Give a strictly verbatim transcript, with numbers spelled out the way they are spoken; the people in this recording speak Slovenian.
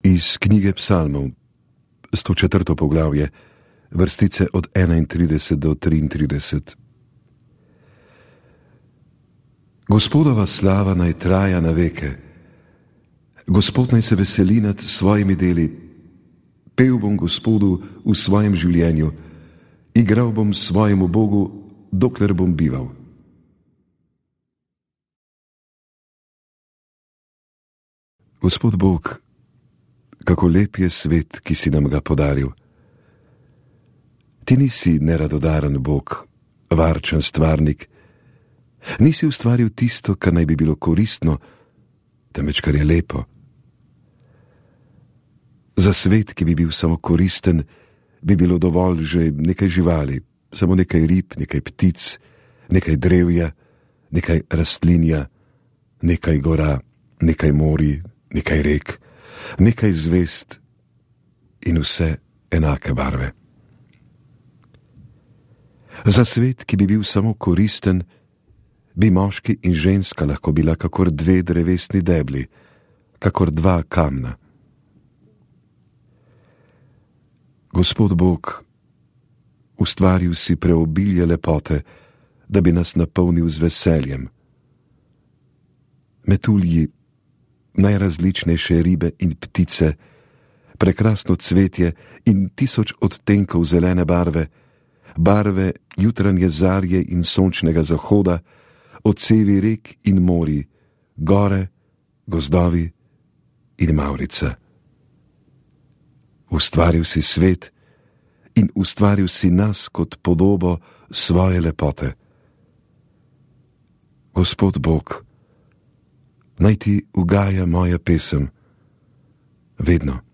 Iz knjige Psalmov, sto četrto poglavje, vrstice od enaintrideset do triintrideset. Gospodova slava naj traja na veke. Gospod naj se veseli nad svojimi deli. Pel bom Gospodu v svojem življenju, igral bom svojemu Bogu, dokler bom bival. Gospod Bog, kako lep je svet, ki si nam ga podaril. Ti nisi neradodaren Bog, varčen stvarnik. Nisi ustvaril tisto, kar naj bi bilo koristno, temveč kar je lepo. Za svet, ki bi bil samo koristen, bi bilo dovolj že nekaj živali, samo nekaj rib, nekaj ptic, nekaj drevja, nekaj rastlinja, nekaj gora, nekaj morij, nekaj rek, nekaj zvezd in vse enake barve. Za svet, ki bi bil samo koristen, bi moški in ženska lahko bila kakor dve drevesni debli, kakor dva kamna. Gospod Bog, ustvaril si preobilje lepote, da bi nas napolnil z veseljem. Metulji, najrazličnejše ribe in ptice, prekrasno cvetje in tisoč odtenkov zelene barve, barve jutranje zarje in sončnega zahoda, odsevi rek in morij, gore, gozdovi in mavrica. Ustvaril si svet in ustvaril si nas kot podobo svoje lepote. Gospod Bog, naj ti ugaja moja pesem vedno.